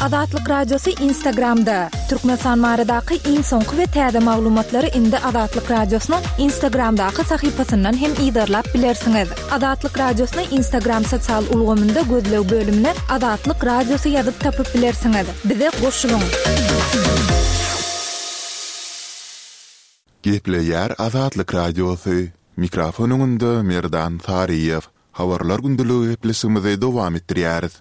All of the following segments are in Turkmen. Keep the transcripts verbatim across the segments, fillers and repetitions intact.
Azatlyk Radiosy Instagramda. Türkmenistan baradaky iň soňky we täze maglumatlary indi Azatlyk Radiosynyň Instagramdaky sahypasyndan hem yzarlap bilersiňiz. Azatlyk Radiosyny Instagram sosial ulgamynda gözleg bölümine Azatlyk Radiosy ýazyp tapyp bilersiňiz. Bize goşulyň. Gepleýär Azatlyk Radiosy. Mikrofon öňünde Merdan Saryýew. Habarlar gündeligi gepleşigimizi dowam etdirýäris.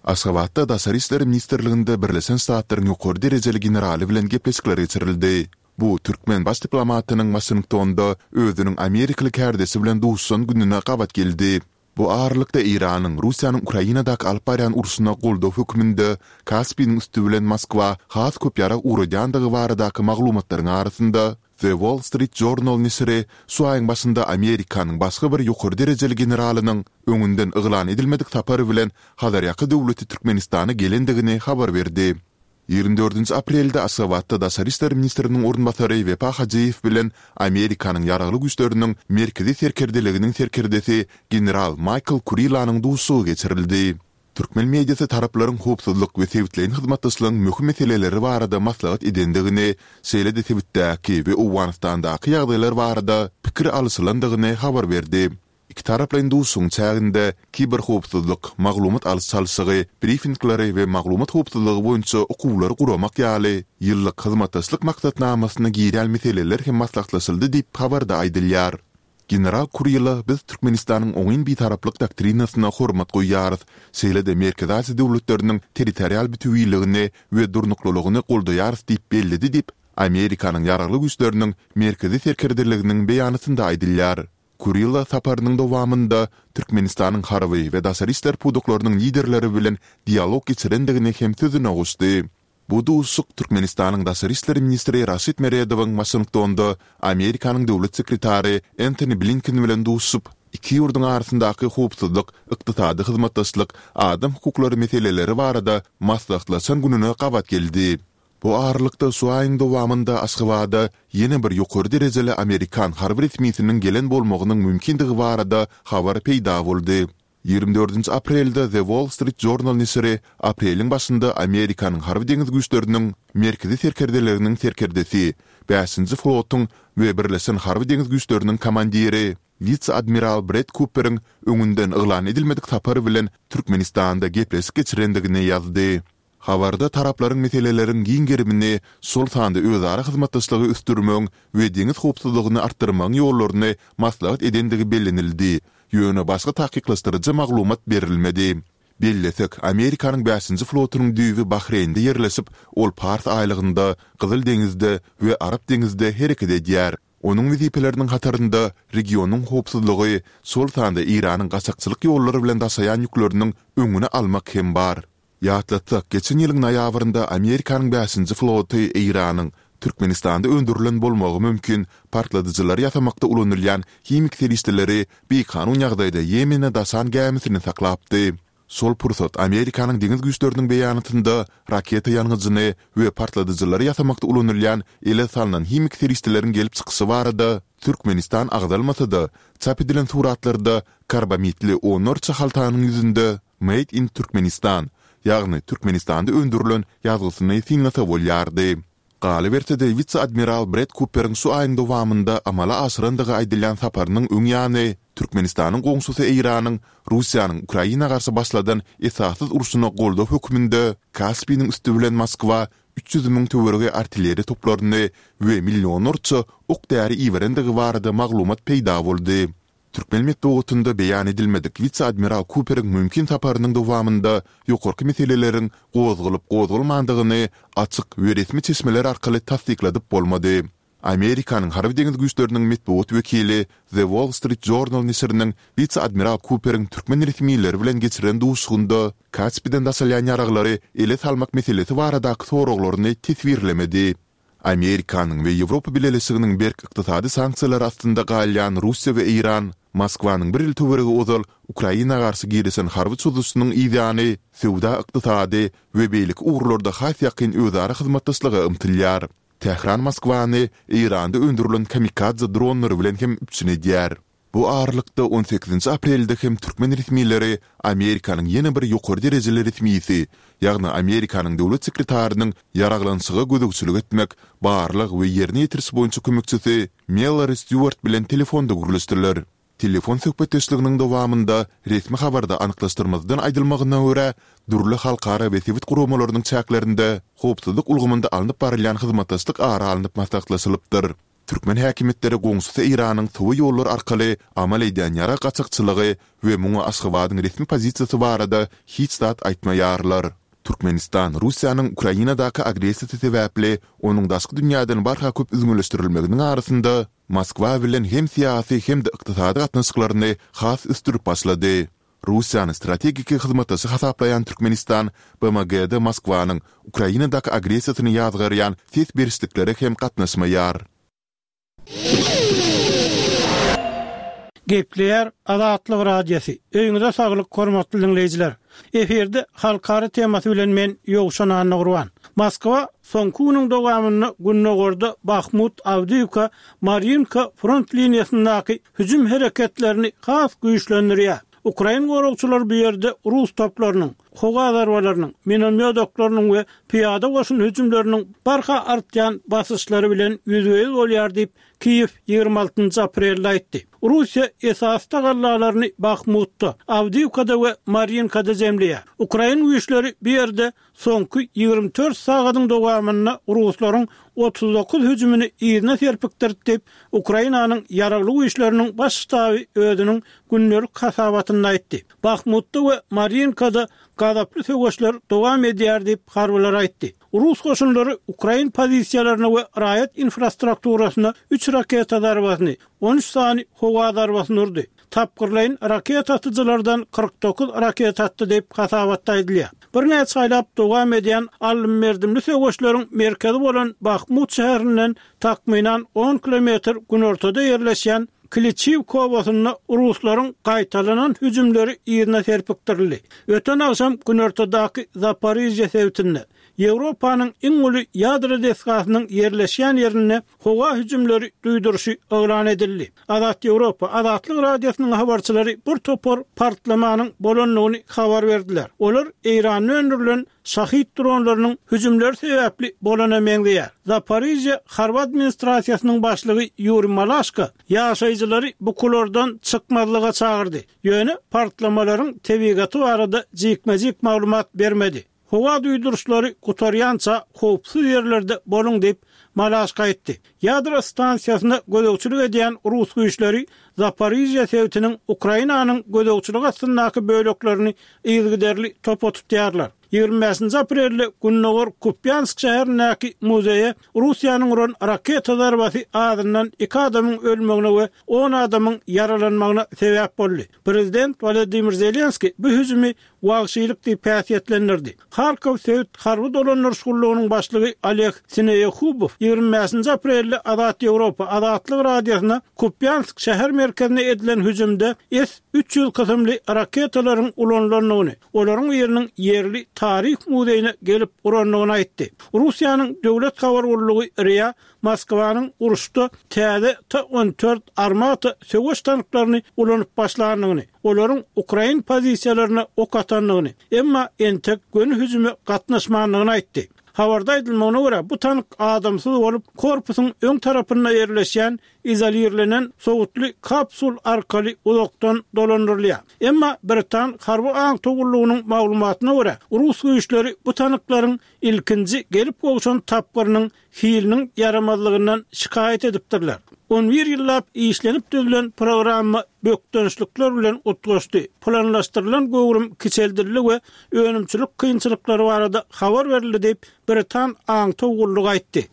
Aşgabatda Daşary işler ministrliginde Birleşen Ştatlaryň ýokary derejeli generaly bilen gepleşikler geçirildi. Bu türkmen baş diplomatynyň Waşingtonda özüniň amerikaly kärdeşi bilen duşuşan gününe gabat geldi. Bu aralykda Eýranyň Russiýanyň Ukrainadaky alyp barýan urşuna goldaw hökmünde Kaspiniň üsti bilen Moskwa has köp ýarag ugradýandygy baradaky maglumatlaryň arasynda, The Wall Street Journal neşiri şu aýyň başynda Amerikanyň başga bir ýokary derejeli generalynyň öňünden yglan edilmedik sapar bilen Hazarýaka döwleti Türkmenistana gelendigini habar berdi. Ýigrimi dördünji aprelde Aşgabatda daşary işler ministriniň orunbasary Wepa Hajyýew bilen Amerikanyň Ýaragly Güýçleriniň Merkezi serkerdeliginiň serkerdesi general Maýkl Kurilanyň duşuşygy geçirildi. Türkmen mediasy taraplaryň howpsuzlyk we sebitleýin hyzmatdaşlygyň möhüm meseleleri barada maslahat edendigini, şeýle-de sebitdäki we Owganystandaky ýagdaýlar barada pikir alyşylandygyny habar berdi. Ikitaraplaýyn duşuşygyň çäginde kiberhowpsuzlyk, maglumat alyş-çalşygy, brifingleri we maglumat howpsuzlygy boýunça okuwlary guramak ýaly ýyllyk hyzmatdaşlyk maksatnamasyna girýän meseleler hem maslahatlaşyldy diýip, habarda aýdylýar. General Kurila biz Türkmenistanyň oňyn bitaraplyk doktrinasyna hormat goýýarys, şeýle-de Merkezi Aziýa döwletleriniň territorial bütewiligini we durnuklylygyny goldaýarys diýip belledi diýip, Amerikanyň Ýaragly Güýçleriniň Merkezi serkerdeliginiň beýanatynda aýdylýar. Kurila saparynyň dowamynda Türkmenistanyň harby we daşary işler pudaklarynyň liderleri bilen dialog geçirendigini hem sözüne goşdy. Bu duşuşyk Türkmenistanyň daşary işler ministri Raşid Meredowyň Waşingtonda Amerikanyň döwlet sekretary Entoni Blinken bilen duşuşyp, iki ýurduň arasyndaky howpsuzlyk, ykdysady hyzmatdaşlyk, adam hukuklary meseleleri barada maslahatlaşan gününe gabat geldi. Bu aralykda, şu aýyň dowamynda Aşgabada ýene bir ýokary derejeli amerikan harby resmisiniň gelen bolmagynyň mümkindigi barada habar peýda boldy. Ýigrimi dördünji aprelde The Wall Street Journal neşiri apreliň başynda Amerikanyň Harby-deňiz güýçleriniň Merkezi serkerdeliginiň serkerdesi, Bäşinji flotuň we Birleşen harby-deňiz güýçleriniň komandiri, wise-admiral Bred Kuperiň öňünden yglan edilmedik sapar bilen Türkmenistanda gepleşik geçirendigini ýazdy. Habarda taraplaryň meseleleriň giň gerimini, şol sanda özara hyzmatdaşlygy ösdürmegiň we deňiz howpsuzlygyny artdyrmagyň ýollaryny maslahat edendigi bellenildi, ýöne başga takyklaşdyryjy maglumat berilmedi. Bellesek, Amerikanyň bäşinji flotunyň düýbi Bahreýnde ýerleşip, ol Pars aýlagynda, Gyzyl deňizde we Arap deňizde hereket edýär. Onuň wezipeleriniň hatarynda regionyň howpsuzlygy, şol sanda Eýranyň gaçakçylyk ýollary bilen daşaýan ýükleriniň öňüni almak hem bar. Ýatlatsak, geçen ýylyň noýabrynda Amerikanyň bäşinji floty Eýranyň Türkmenistanda öndürilen bolmagy mümkin partladyjylary ýasamakda ulanylýan himik serişdeleri bikanun ýagdaýda Ýemene daşan gämisini saklapdy. Şol pursat Amerikanyň deňiz güýçleriniň beýanatynda raketa ýangyjyny we partladyjylary ýasamakda ulanylýan ele salnan himik serişdeleriň gelip çykyşy barada Türkmenistan agzalmasa-da, çap edilen suratlarda karbamidli onlarça haltanyň ýüzünde Made in Turkmenistan, ýagny Türkmenistanda öndürilen ýazgysyny synlasa bolýardy. Galyberse-de, wise-admiral Bred Kuperiň şu aýyň dowamynda amala aşyrandygy aýdylýan saparynyň öň ýany, Türkmenistanyň goňşusy Eýranyň Russiýanyň Ukraina garşy başladan esassyz urşuna goldaw hökmünde Kaspiniň üsti bilen Moskwa üç ýüz müň töweregi artilleriýa toplaryny we millionlarça ok-däri iberendigi barada maglumat peýda boldy. Türkmen metbugatynda beýan edilmedik wise-admiral Kuperiň mümkin saparynyň dowamynda ýokarky meseleleriň gozgalyp-gozgalmandygyny açyk we resmi çeşmeler arkaly tassykladyp bolmady. Amerikanyň Harby-deňiz güýçleriniň metbugat wekili The Wall Street Journal neşiriniň wise-admiral Kuperiň türkmen resmileri bilen geçiren duşuşygynda Kaspiden daşalýan ýaraglary ele salmak meselesi baradaky soraglaryny teswirlemedi. Amerikanyň we Ýewropa Bileleşiginiň berk ykdysady sanksiýalary astynda galýan Russiýa we Eýran Moskwanyň bir ýyl töweregi ozal Ukraina garşy girişen harby çozuşynyň yzýany söwda-ykdysady we beýleki ugurlarda has ýakyn özara hyzmatdaşlyga ymtylýar. Tähran Moskwany Eýranda öndürilen kamikadze dronlary bilen hem üpjün edýär. Bu aralykda, on sekizinji aprelde hem türkmen resmileri Amerikanyň ýene bir ýokary derejeli resmisi, ýagny Amerikanyň döwlet sekretarynyň ýaraglanyşyga gözegçilik etmek, barlag we ýerine ýetiriş boýunça kömekçisi Mellori Stýuart bilen telefonda gürleşdiler. Telefon söhbetdeşliginiň dowamynda, resmi habarda anyklaşdyrmazdan aýdylmagyna görä, dürli halkara we sebit guramalarynyň çäklerinde howpsuzlyk ulgamynda alnyp barylýan hyzmatdaşlyk ara alnyp maslahatlaşylypdyr. Türkmen häkimiýetleri goňşusy Eýranyň sowa ýollar arkaly amal edýän ýarag gaçakçylygy we muňa Aşgabadyň resmi pozisiýasy barada hiç zat aýtmaýarlar. Türkmenistan Russiýanyň Ukrainadaky agressiýasy sebäpli onuň daşky dünýäden barha köp üzňeleşdirilmeginiň arasynda Moskwa bilen hem syýasy hem-de ykdysady gatnaşyklaryny has ösdürip başlady. Russiýany strategiki hyzmatdaşy hasaplaýan Türkmenistan B M G-de Moskwanyň Ukrainadaky agressiýasyny ýazgarýan ses berişliklere hem gatnaşmaýar. Gepleýär Azatlyk Radiosy. Öýüňize saglyk, hormatly diňleýjiler. Efirde halkara temasy bilen men Ýowşan Annagurban. Moskwa soňky günüň dowamynda gündogarda Bahmut, Awdiýewka, Marýinka front liniýasyndaky hüjüm hereketlerini has güýçlendirýär. Ukrain goragçylary bu ýerde rus toplarynyň, howa zarbalarynyň, minomýot oklarynyň we pyýada goşun hüjümleriniň barha artýan basyşlary bilen ýüzbe-ýüz bolýar diýip, Kiýew ýigrimi altynjy aprelde aýtdy. Russiýa esasy tagallalaryny Bahmutda, Awdiýewkada we Marýinkada jemleýär. Ukrain güýçleri bu ýerde soňky ýigrimi dört sagadyň dowamynda ruslaryň otuz dokuz hüjümini yzyna serpikdirdi diýip, Ukrainanyň Ýaragly Güýçleriniň Baş ştaby özüniň gündelik hasabatynda aýtdy. Bahmutda we Marýinkada gazaply söweşler dowam edýär diýip, harbylar aýtdy. Rus goşunlary ukrain pozisiýalaryna we raýat infrastrukturasyna üç raketa zarbasyny, on üç sany howa zarbasyny urdy. Tapgyrlaýyn raketa atyjylardan kyrk dokuz raketa atdy diýip, hasabatda aýdylýar. Birnäçe aýlap dowam edýän aldym-berdimli söweşleriň merkezi bolan Bahmut şäherinden takmynan on kilometr günortada ýerleşýän Kliçiwka obasynda ruslaryň gaýtalanan hüjümleri yzyna serpikdirildi. Öten agşam günortadaky Zaporižýe sebitinde, Ýewropanyň iň uly ýadro desgasynyň ýerleşýän ýerinde howa hüjümleri duýduryşy yglan edildi. Azat Ýewropa, Azatlyk Radiosynyň habarçylary bir topar partlamanyň bolandygyny habar berdiler. Olar Eýranda öndürilen Şahid dronlarynyň hüjümleri sebäpli bolana meňzeýär. Zaporižýe harby administrasiýasynyň başlygy Ýuriý Malaşko ýaşaýjylary bukulardan çykmazlyga çagyrdy. Ýöne partlamalaryň tebigaty barada jikme-jik maglumat bermedi. Howa duýduryşlary gutarýança howpsuz ýerlerde boluň diýip, Malaşko aýtdy. Ýadro stansiýasyna gözegçilik edýän rus güýçleri Zaporižýe sebitiniň Ukrainanyň gözegçiligi astyndaky böleklerini yzygiderli topa tutýarlar. Ýigrimi bäşinji aprelde gündogar Kupýansk şäherindäki muzeýe Russiýanyň uran raketa zarbasy azyndan iki adamyň ölmegine we on adamyň ýaralanmagyna sebäp boldy. Prezident Wolodymyr Zelenskiý bu hüjümi wagşylyk diýip häsiýetlendirdi. Harkow sebit harby dolandyryş gullugynyň başlygy Oleg Sineýehubow ýigrimi bäşinji aprelde Azat Ýewropa, Azatlyk Radiosyna Kupýansk şäher merkezine edilen hüjümde S üç ýüz kysymly raketalaryň ulanylandygyny, olaryň biriniň ýerli taryh muzeýine gelip urandygyny aýtdy. Russiýanyň döwlet habar gullugy R I A Moskwanyň uruşda täze T on dört Armata söweş tanklaryny ulanyp başlandygyny, olaryň ukrain pozisiýalaryna ok atandygyny, emma entek göni hüjüme gatnaşmandygyny aýtdy. Habarda aýdylmagyna görä, bu tank adamsyz bolup, korpusyň öň tarapynda ýerleşýän izolirlenen sowutly kapsul arkaly uzakdan dolandyrylýar. Emma britan harby aňtaw gullugynyň maglumatyna görä, rus güýçleri bu tanklaryň ilkinji gelip gowşan tapgyrynyň hiliniň ýaramazlygyndan şikaýat edipdirler. On bir ýyllap işlenip düzülen programma bökdençlikler bilen utgaşdy, planlaşdyrylan göwrüm kiçeldildi we önümçilik kynçylyklary barada habar berildi diýip, britan aňtaw gullugy aýtdy.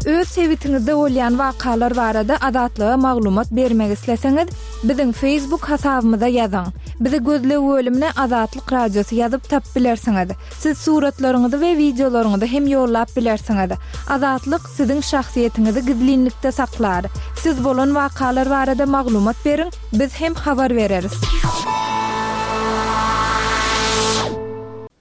Öz sebitiňizde bolýan wakalar barada Azatlyga maglumat bermek isleseňiz, biziň Facebook hasabymyza ýazyň. Bizi gözleg bölümine Azatlyk Radiosy ýazyp tap bilersiňiz. Siz suratlaryňyzy we wideolaryňyzy hem ýollap bilersiňiz. Azatlyk siziň şahsyýetiňizi gizlinlikde saklar. Siz bolan wakalar barada maglumat beriň, biz hem habar bereris.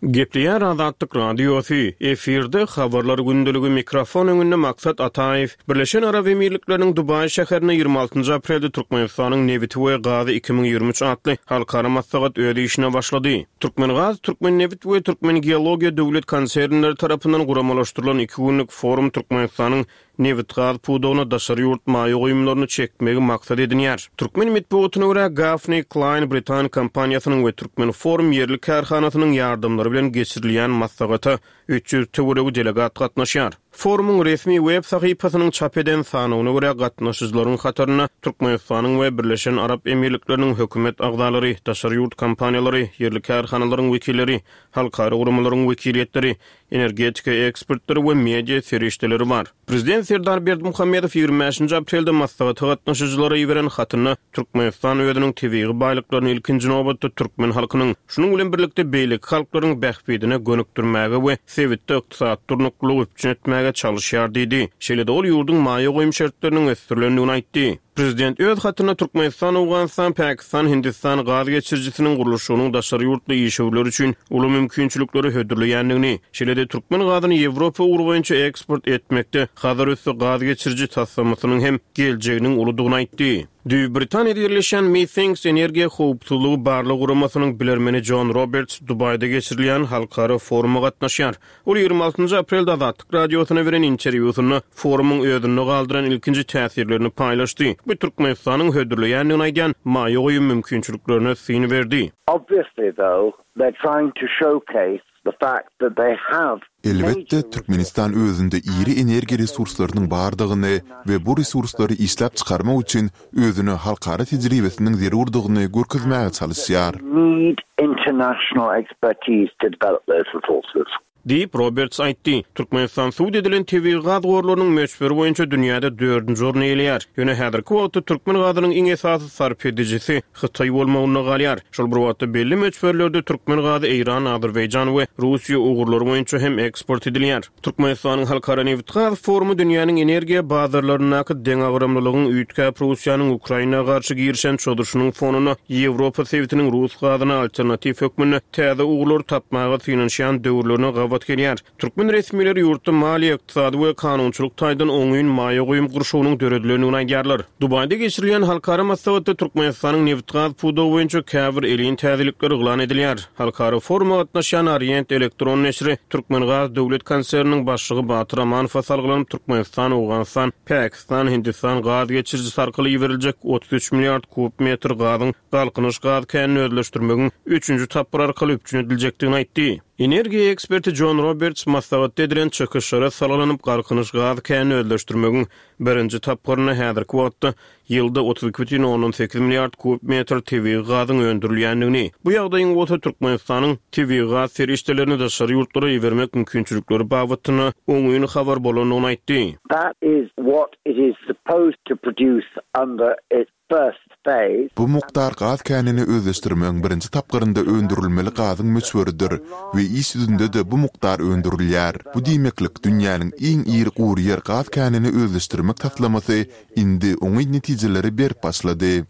Gepleýär Azatlyk Radiosy, efirde Habarlar gündeligi, mikrofon öňünde Maksat Ataýew. Birleşen Arap Emirlikleriniň Dubaý şäherinde ýigrimi altynjy aprelde Türkmenistanyň nebiti we gazy iki müň ýigrimi üç atly halkara maslahat öz işine başlady. Türkmengaz, Türkmennebit we Türkmengeologiýa döwlet konsernleri tarapyndan guramalaşdyrylan iki günlük forum Türkmenistanyň nebitgaz pudagyna daşary ýurt maýa goýumlaryny çekmegi maksat edinýär. Türkmen metbugatyna görä, Gaffney Cline britan kompaniýasynyň we Türkmenforum ýerli kärhanasynyň ýardamlary bilen geçirilýän maslahata üç ýüz töweregi delegat gatnaşýar. Forumyň resmi web sahypasynyň çap eden sanawyna görä, gatnaşyjylaryň hatarynda Türkmenistanyň we Birleşen Arap Emirlikleriniň hökümet agzalary, daşary ýurt kompaniýalary, ýerli kärhanalaryň wekilleri, halkara guramalaryň wekiliýetleri, energetika ekspertleri we media serişdeleri bar. Prezident Serdar Berdimuhamedow ýigrimi bäşinji aprelde maslahata gatnaşyjylara iberen hatynda Türkmenistan özüniň tebigy baýlyklaryny ilkinji nobatda türkmen halkynyň, şunuň bilen birlikde beýleki halklaryň bähbidine gönükdirmäge we sebitde ykdysady durnuklylygy üpjün etmäge çalyşýar diýdi. Şeýle-de ol ýurduň maýa goýum şertleriniň ösdürilendigini aýtdy. Prezident öz hatynda Türkmenistan, Owganystan, Pakistan, Hindistan gaz geçirijisiniň gurluşygynyň daşary ýurtly işewürler üçin uly mümkinçilikleri hödürleýändigini, şeýle-de türkmen gazyny Ýewropa ugry boýunça eksport etmekde Hazar üsti gaz geçiriji taslamasynyň hem geljeginiň uludygyny aýtdy. Düýbi Britaniýada ýerleşýän Methinks energiýa howpsuzlygy barlag guramasynyň bilermeni Jon Roberts Dubaýda geçirilýän halkara foruma gatnaşýar. Ol ýigrimi altynjy aprelde Azatlyk Radiosyna beren interwýusynda forumyň özünde galdyran ilkinji täsirlerini paýlaşdy we Türkmenistanyň hödürleýändigini aýdýan maýa goýum mümkinçiliklerine syn berdi. Obviously though, they're trying to showcase the fact that they have Elbetde, Türkmenistan özünde iri energiýa resurslarynyň bardygyny we bu resurslary işläp çykarmak üçin özüne halkara tejribesiniň zerurdygyny görkezmäge çalyşýar. Need international expertise to develop those resources. Diýip, Roberts aýtdy. Türkmenistan sud edilen tebigy gaz gorlarynyň möçberi boýunça dünýäde dördünji orny eýeleýär. Ýöne häzirki wagtda türkmen gazynyň iň esasy sarp edijisi Hytaý bolmagynda galýar. Şol bir wagtda belli möçberlerde türkmen gazy Eýran, Azerbaýjan we Russiýa ugurlary boýunça hem eksport edilýär. Türkmenistanyň Halkara nebitgaz forumy dünýäniň energiýa bazarlaryndaky deňagramlylygyň üýtgäp Russiýanyň Ukraina garşy girişen çozuşynyň fonunda Ýewropa sebitiniň rus gazyna alternatiw hökmünde täze ugurlary tapmaga synanyşýan döwürlerine gabat gelýär. Türkmen resmileri ýurtda maliýe, ykdysady we kanunçylyk taýdan oňyn maýa goýum gurşawynyň döredilendigini aýdýarlar. Dubaýda geçirilýän halkara maslahatda Türkmenistanyň nebitgaz pudagy boýunça käbir elin täzelikleri yglan edilýär. Halkara foruma gatnaşýan Orient elektron neşiri Türkmengaz döwlet konserniniň başlygy Batyr Amanowa salgylanyp Türkmenistan, Owganystan, Pakistan, Hindistan gaz geçirijisi arkaly iberiljek otuz üç milliard kub metr gazyň Galkynyş gaz känini özleşdirmegiň üçünji tapgyry arkaly üpjün ediljekdigini aýtdy. Energiýa eksperti Jon Roberts maslahatda edilen çykyşlara salgylanyp Galkynyş gaz känini özleşdirmegiň birinji tapgyrynda häzirki wagtda ýylda otuz iki bütin ondan sekiz milliard kub metr tebigy gazyň öndürilýändigini, bu ýagdaýyň bolsa Türkmenistanyň tebigy gaz serişdelerini daşary ýurtlara ibermek mümkinçilikleri babatynda oňyn habar bolandygyny aýtdy. That is what it is supposed to produce under its first phase. Bu mukdar gaz känini özleşdirmegiň birinji tapgyrynda öndürilmeli gazyň möçberidir we iş ýüzünde-de bu mukdar öndürilýär. Bu diýmeklik dünýäniň iň iri gury ýer gaz känini özleşdirmek taslamasy indi oňyn netijeleri berip başlady.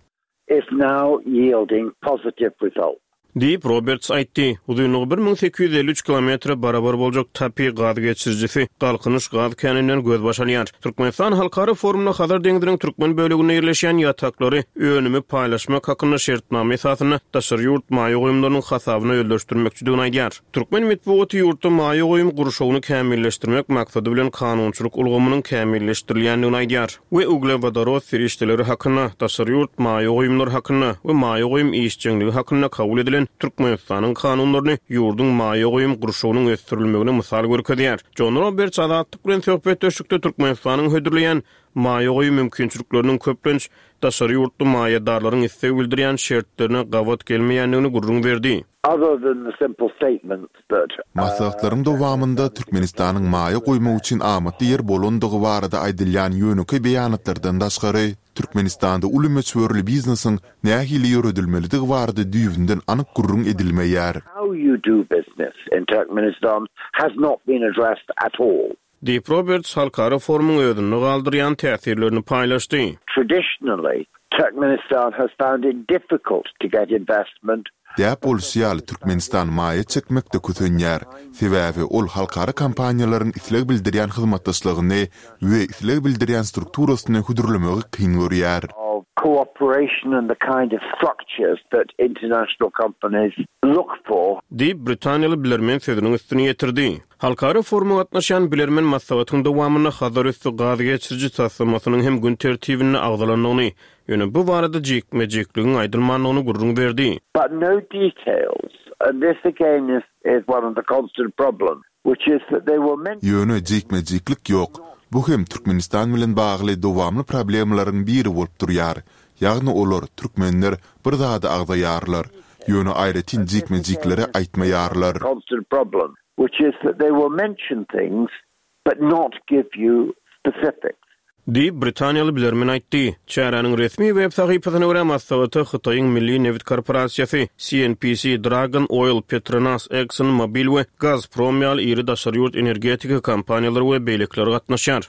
Is now yielding positive results. Diýip, Roberts aýtdy. Uzynlygy bir müň sekiz ýüz elli üç kilometre barabar boljak TAPI gaz geçirijisi Galkynyş gaz käninden gözbaş alýar. Türkmenistan halkara forumynda Hazar deňziniň türkmen böleginde ýerleşýän ýataklary önümi paýlaşmak hakynda şertnama esasynda daşary ýurt maýa goýumlarynyň hasabyna özleşdirmekçidigini aýdýar. Türkmen metbugaty ýurtda maýa goýum gurşawyny kämilleşdirmek maksady bilen kanunçylyk ulgamynyň kämilleşdirilýändigini aýdýar we uglewodorod serişdeleri hakynda, daşary ýurt maýa goýumlary hakynda we maýa goýum işjeňligi hakynda kabul edilen Türkmenistanyň kanunlaryny ýurduň maýa goýum gurşawynyň ösdürilmegine mysal görkezýär. Jon Roberts Azatlyk bilen söhbetdeşlikde Türkmenistanyň hödürleýän maýa goýum mümkinçilikleriniň köplenç daşary ýurtly maýadarlaryň isleg bildirýän şertlerine gabat gelmeýändigini gürrüň berdi. Other than the simple statements that, uh, Maslahatlaryň dowamynda Türkmenistanyň maýa goýmak üçin amatly ýer bolandygy barada aýdylýan ýönekeý beýanatlardan daşgary, Türkmenistanda uly möçberli biznesiň nähili ýöredilmelidigi barada düýbünden anyk gürrüň edilmeýär. How you do business in Turkmenistan has not been addressed at all. Diýip, Roberts halkara forumyň özünde galdyrýan täsirlerini paýlaşdy. Traditionally, Turkmenistan has found it difficult to get investment. Däp bolşy ýaly, Türkmenistan maýa çekmekde kösenýär, sebäbi ol halkara kompaniýalaryň isleg bildirýän hyzmatdaşlygyny we isleg bildirýän strukturasyny hödürlemegi kyn görýär. of cooperation and the kind of structures that international companies look for. Diýip, britaniýaly bilermen sözüniň üstüni ýetirdi. Halkara foruma gatnaşýan bilermen maslahatyň dowamynda Hazarüsti gaz geçiriji taslamasynyň hem gün tertibinde agzalandygyny, ýöne bu barada jikme-jikligiň aýdylmandygyny gürrüň berdi. But no details. And this again is, is one of the constant problems, which is that they will mention Ýöne jikme-jiklik ýok. Bu hem Türkmenistan bilen bagly dowamly problemalaryň biri bolup durýar. Ýagny olar, türkmenler bir zady agzaýarlar, ýöne aýratyn jikme-jikleri aýtmaýarlar. constant problem, which is that they will mention things but not give you specifics. Diýip, britaniýaly bilermen aýtdy. Çäräniň resmi web sahypasyna görä maslahata Hytaýyň Milli nebit korporasiýasy, C N P C, Dragon Oil, Petronas, Exxon Mobil we Gazprom ýaly iri daşary ýurt energetika kompaniýalary we beýlekiler gatnaşýar.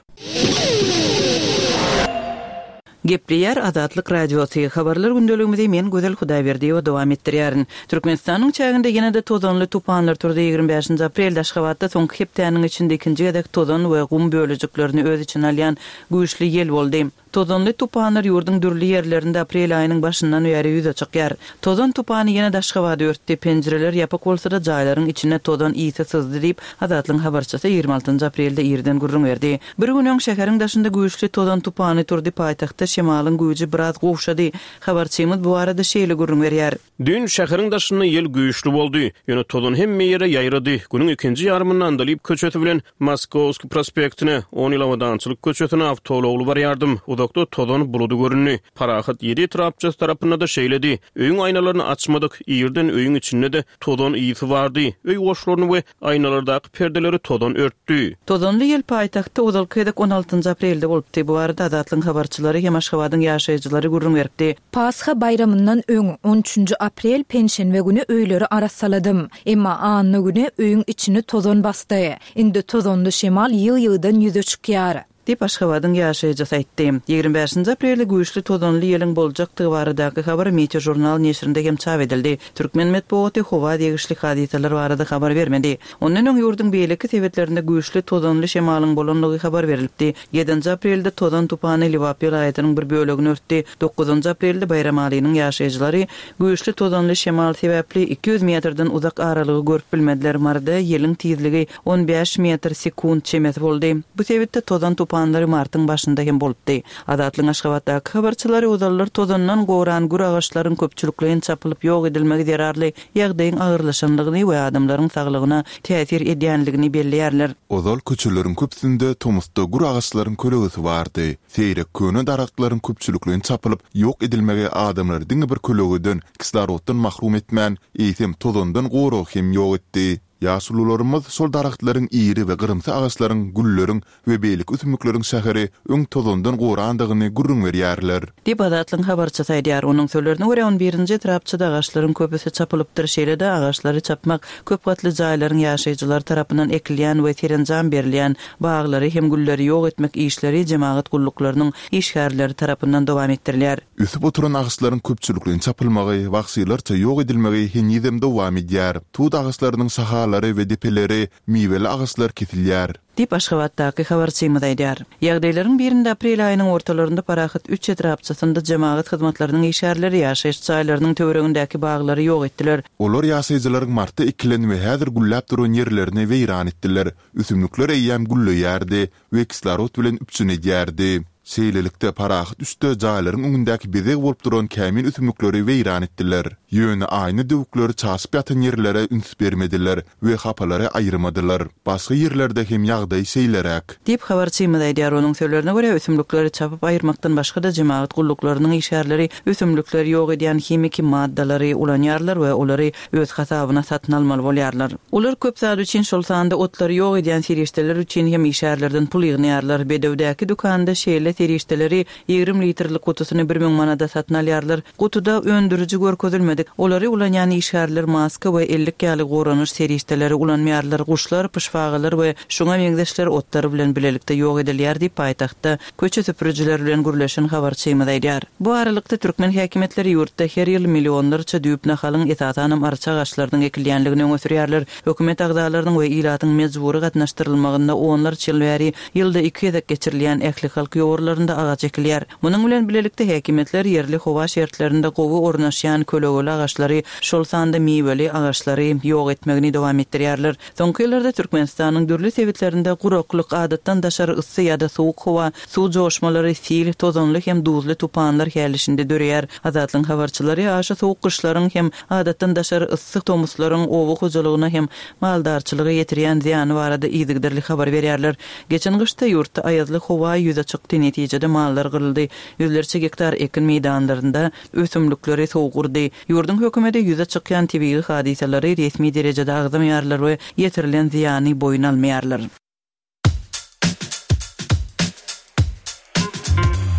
Gepleýär Azatlyk Radiosy. Habarlar gündeligimizi men Gözel Hudaýberdiýewa dowam etdirýärin. Türkmenistanyň çäginde ýene-de tozanly tupanlar turdy. Ýigrimi bäşinji aprelde Aşgabatda soňky hepdäniň içinde ikinji gezek tozan we gum bölejiklerini öz içine alýan güýçli ýel boldy. Tozanly tupanlar ýurduň dürli ýerlerinde aprel aýynyň başyndan bäri ýüze çykýar. Tozan tupany ýene-de Aşgabady örtdi. Penjireler ýapyk bolsa-da jaýlaryň içine tozan ysy syzdy diýip, Azatlygyň habarçysy ýigrimi altynjy aprelde irden gürrüň berdi. Bir gün öň şäheriň daşynda güýçli tozan tupany turdy, paýtagtda şemalyň güýji biraz gowşady. Habarçymyz bu barada şeýle gürrüň berýär. Düýn şäheriň daşynda ýel güýçli boldy. Ýöne tozan hemme ýere ýaýrady. Günüň ikinji ýarymynda Andalyp köçesi bilen Moskowski prospektine, on ýyl Abadançylyk köçesine awtoulagly barýardym. Uzakda tozan buludy göründi. Parahat ýedi etrapçasy tarapynda-da şeýledi. Öýüň aýnalaryny açmadyk. Irden öýüň içinde-de tozan ysy bardy. Öý goşlaryny we aýnalardaky perdeleri tozan örtdi. Tozanly ýel paýtagtda ozalky gezek on altynjy aprelde bolupdy. Bu barada Azatlygyň habarçylary hem Aşgabadyň ýaşaýjylary gürrüň beripdi. Pasha baýramyndan öň on üçünji aprel penşenbe güni öýleri arassaladym. Emma anna güni öýüň içini tozan basdy. Indi tozanly şemal ýygy-ýygydan ýüze çykýar. Diýip Aşgabadyň ýaşaýjysy aýtdy. Ýigrimi bäşinji aprelde güýçli tozanly ýeliň boljakdygy baradaky habar Meteo jurnal neşirinde hem çap edildi. Türkmen metbugaty howa degişli hadysalar barada habar bermedi. Ondan öň ýurduň beýleki sebitlerinde güýçli tozanly şemalyň bolandygy habar berilipdi. Ýedinji aprelde tozan tupany Lebap welaýatynyň bir bölegini örtdi. Dokuzynjy aprelde Baýramalynyň ýaşaýjylary güýçli tozanly şemal sebäpli iki ýüz metrden uzak aralygy görüp bilmediler. Maryda ýeliň tizligi on bäş metr sekunt çemesi boldy. Bu sebitde tozan tupanlary martyň başynda hem bolupdy. Azatlygyň Aşgabatdaky habarçylary ozallar tozandan goran gür agaçlaryň köpçülikleýin çapylyp ýok edilmegi zerarly ýagdaýyň agyrlaşanlygyny we adamlaryň saglygyna täsir edýänligini belleýärler. Ozal köçeleriň köpüsinde tomusda gür agaçlaryň kölegesi bardy. Seýrek köne daragtlaryň köpçülikleýin çapylyp ýok edilmegi adamlary diňe bir kölegeden, kisloroddan mahrum etmän, eýsem tozandan goragy hem ýok etdi. Ýaşulularymyz şol daragtlaryň iri we gyrymsy agaçlaryň, gülleriň we beýleki ösümlikleriň şäheri öň tozandan gorandygyny gürrüň berýärler. Diýip Azatlygyň habarçysy aýdýar. Onuň sözlerine görä on birinji etrapçada agaçlaryň köpüsi çapylypdyr. Şeýle-de agaçlary çapmak köp gatly jaýlaryň ýaşaýjylary tarapyndan ekilýän we serenjam berilýän baglary hem gülleri ýok etmek işleri jemagat gulluklarynyň işgärleri tarapyndan dowam etdirilýär. Ösüp oturan agaçlaryň köpçülikleýin çapylmagy, wagşylarça ýok edilmegi henizem dowam edýär. Tut agaçlarynyň şahalary we depeleri, miweli agaçlar kesilýär. Diýip Aşgabatdaky habarçymyz aýdýar. Ýagdaýlaryň birinde aprel aýynyň ortalarynda Parahat üç etrapçasynda jemagat hyzmatlarynyň işgärleri ýaşaýyş jaýlarynyň töweregindäki baglary ýok etdiler. Olar ýaşaýjylaryň martda ekilen we häzir gülläp duran ýerlerini weýran etdiler. Ösümlikler eýýäm gülleýärdi we kislorod bilen üpjün edýärdi. Şeýlelikde Parahat üçde jaýlaryň öňündäki bezeg bolup duran kämil ösümlikleri weýran etdiler. Ýöne aýna döwükleri çaşyp ýatan ýerlere üns bermediler we hapalary aýyrmadylar. Başga ýerlerde hem ýagdaý şeýleräk. Diýip habarçymyz aýdýar. Onuň sözlerine görä ösümlikleri çapyp aýyrmakdan başga-da jemagat gulluklarynyň işgärleri ösümlikleri ýok edýän himiki maddalary ulanýarlar we olary öz hasabyna satyn almaly bolýarlar. Olar köp zat üçin, şol sanda otlary ýok edýän serişdeler üçin hem işgärlerden pul ýygnaýarlar. Bedewdäki dükanda şeýle serişdeleri ýigrimi litrlik gutusyny bir müň manada satyn alýarlar. Gutuda öndüriji görkezilmedik. Olary ulanýan işgärler maska we ellik ýaly goranyş serişdeleri ulanmaýarlar. Guşlar, pyşbagalar we şuňa meňzeşler otlar bilen bilelikde ýok edilýär diýip paýtagtda köçe süpürijiler bilen gürleşen habarçymyz aýdýar. Bu aralykda türkmen häkimiýetleri ýurtda her ýyl millionlarça düýp nahalyň esasanam arça agaçlarynyň ekilýänligini öňe sürýärler. Hökümet agzalarynyň we ilatyň mejbury gatnaşdyrylmagynda onlarça ýyl bäri ýylda iki gezek geçirilýän ähli halk ýowarlarynda agaç ekilýär. Munuň bilen bilelikde häkimiýetler ýerli howa şertlerinde gowy ornaşýan kölegeli agaçlary, şol sanda miweli agaçlary ýok etmegini dowam etdirýärler. Soňky ýyllarda Türkmenistanyň dürli sebitlerinde guraklyk, adatdan daşary yssy ýa-da sowuk howa, suw joşmalary, sil, tozanly hem duzly tupanlar häli-şindi döreýär. Azatlygyň habarçylary aşa sowuk gyşlaryň hem adatdan daşary yssy tomuslaryň oba hojalygyna hem maldarçylyga ýetirýän zyýany barada yzygiderli habar berýärler. Geçen gyşda ýurtda aýazly howa ýüze çykdy, netijede mallar gyryldy. Ýüzlerçe gektar ekin meýdanlarynda ösümlikleri sowuk urdy. Ýurduň hökümeti ýüze çykýan tebigy hadysalary resmi derejede agzamaýarlar we ýetirilen zyýany boýun almaýarlar.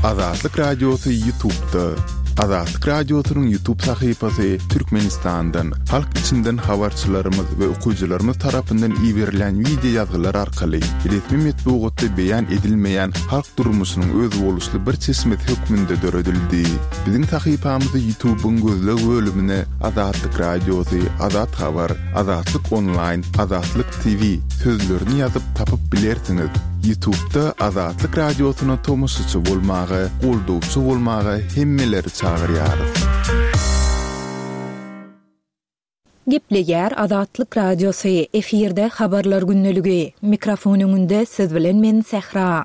Azatlyk Radiosy YouTube'da. Azatlyk Radiosynyň YouTube sahypasy Türkmenistandan, halk içinden habarçylarymyz we okyjylarymyz tarapyndan iberilen wideo ýazgylar arkaly resmi metbugatda beýan edilmeýän halk durmuşynyň özboluşly bir çeşmesi hökmünde döredildi. Biziň sahypamyzy YouTube'yň gözleg bölümine Azatlyk Radiosy, Azat Habar, Azatlyk Online, Azatlyk T V sözlerini ýazyp tapyp bilersiňiz. YouTube'da Azatlyk Radiosyna tomaşaçy bolmaga, goldawçy bolmaga hemmeleri çagyrýarys. Gepleýär Azatlyk Radiosy, efirde habarlar gündeligi. Mikrofon öňünde siz bilen men Sähra.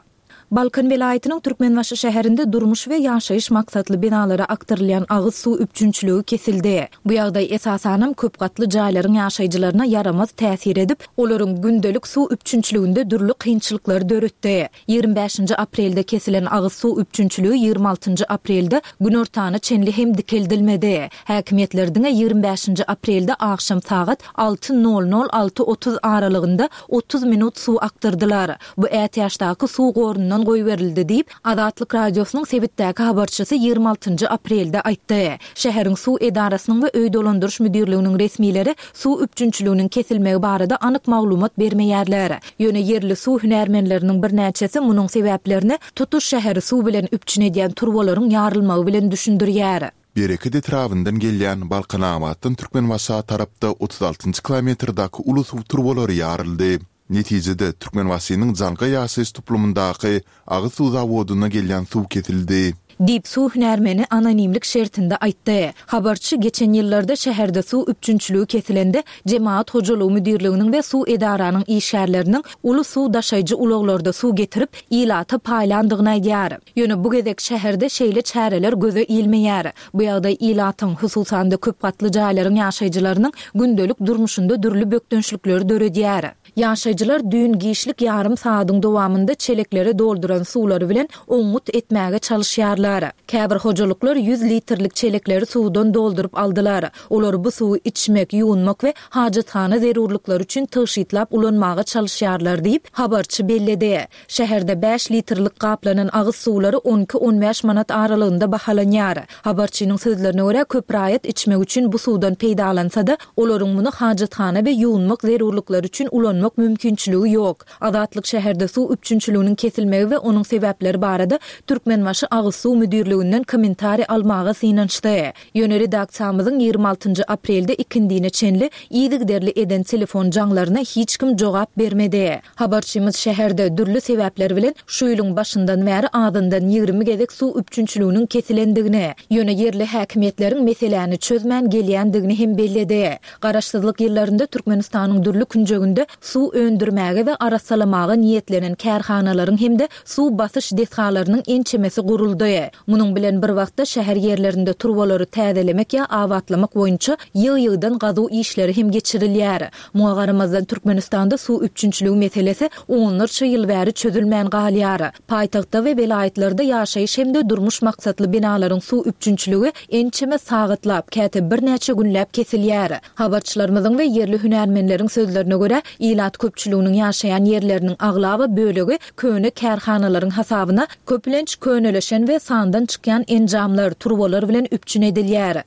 Balkan welaýatynyň Türkmenbaşy şäherinde durmuş we ýaşaýyş maksatly binalara akdyrylýan agyz suw üpjünçiligi kesildi. Bu ýagdaý esasanam köp gatly jaýlaryň ýaşaýjylaryna ýaramaz täsir edip, olaryň gündelik suw üpjünçiliginde dürli kynçylyklar döretdi. Ýigrimi bäşinji aprelde kesilen agyz suw üpjünçiligi ýigrimi altynjy aprelde günortana çenli hem dikeldilmedi. Häkimiýetler diňe ýigrimi bäşinji aprelde agşam sagat alty nol nol alty otuz aralygynda otuz minut suw akdyrdylar. Bu ätiýaçdaky suw gorundan goýberildi diýip, Azatlyk Radiosynyň sebitdäki habarçysy ýigrimi altynjy aprelde aýtdy. Şäheriň suw edarasynyň we öý dolandyryş müdirliginiň resmileri suw üpjünçiliginiň kesilmegi barada anyk maglumat bermeýärler. Ýöne ýerli suw hünärmenleriniň birnäçesi munuň sebäplerini tutuş şäheri suw bilen üpjün edýän turbalaryň ýarylmagy bilen düşündirýär. Bereket etrabyndan gelýän Balkanabatdan Türkmenbaşa tarapda otuz altynjy kilometrdäki uly suw turbalary ýaryldy. Netijede Türkmenbaşynyň Jaňga ýaşaýyş toplumyndaky agyz suw zawodyna gelýän suw kesildi. Diýip suw hünärmeni anonimlik şertinde aýtdy. Habarçy geçen ýyllarda şäherde suw üpjünçiligi kesilende Jemaat hojalygy müdirliginiň we suw edaranyň işgärleriniň uly suw daşaýjy ulaglarda suw getirip ilata paýlandygyny aýdýar. Ýöne bu gezek şäherde şeýle çäreler göze ilmeýär. Bu ýagdaý ilatyň, hususan-da köp gatly jaýlaryň ýaşaýjylarynyň gündelik durmuşynda dürli bökdençlikleri döredýär. Ýaşaýjylar düýn giçlik ýarym saadyň dowamynda çeleklere dolduran suwlary bilen oňňut etmäge çalyşýarlar. Käbir hojalyklar ýüz litrlik çelekleri suwdan dolduryp aldylar. Olar bu suwy içmek, ýuwunmak we hajathana zerurlyklary üçin tygşytlap ulanmaga çalyşýarlar diýip, habarçy belledi. Şäherde bäş litrlik gaplanan agyz suwlary on iki on bäş manat aralygynda bahalanýar. Habarçynyň sözlerine görä köp raýat içmek üçin bu suwdan peýdalansa-da, olaryň muny hajathana we ýuwunmak zerurlyklary üçin ulanmak mümkinçiligi ýok. Azatlyk şäherde suw üpjünçiliginiň kesilmegi we onuň sebäpleri barada Türkmenbaşy agyz suw müdirliginden kommentariý almaga synanyşdy. Ýöne redaksiýamyzyň ýigrimi altynjy aprelde ikindine çenli yzygiderli eden telefon jaňlaryna hiç kim jogap bermedi. Habarçymyz şäherde dürli sebäpler bilen şu ýylyň başyndan bäri azyndan ýigrimi gezek suw üpjünçiliginiň kesilendigini, ýöne ýerli häkimiýetleriň meseläni çözmän gelýändigini hem belledi. Garaşsyzlyk ýyllarynda Türkmenistanyň dürli künjeginde suw öndürmäge we arassalamaga niýetlenen kärhanalaryň hem-de suw basyş desgalarynyň ençemesi guruldy. Munuň bilen bir wagtda şäher ýerlerinde turbalary täzelemek ýa abatlamak boýunça ýygy-ýygydan gazuw işleri hem geçirilýär. Muňa garamazdan Türkmenistanda suw üpjünçiligi meselesi onlarça ýyl bäri çözülmän galýar. Paýtagtda we welaýatlarda ýaşaýyş hem-de durmuş maksatly binalaryň suw üpjünçiligi ençeme sagatlap, käte birnäçe günläp kesilýär. Habarçylarymyzyň we ýerli hünärmenleriň sözlerine görä, ilatyň Ilat köpçüliginiň ýaşaýan ýerleriniň aglaba bölegi köne kärhanalaryň hasabyna köplenç könelişen we sandan çykýan enjamlar, turbalar bilen üpjün edilýär.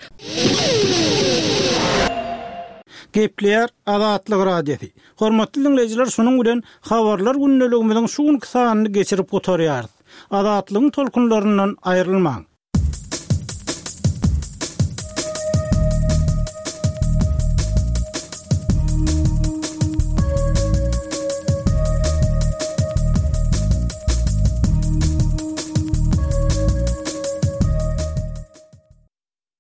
Gepleýär Azatlyk Radiosy. Hormatly dinleýjiler, şunuň bilen habarlar gündeligimiziň şu günki sanyny geçirip gutarýarys. Azatlygyň tolkunlaryndan aýrylmaň.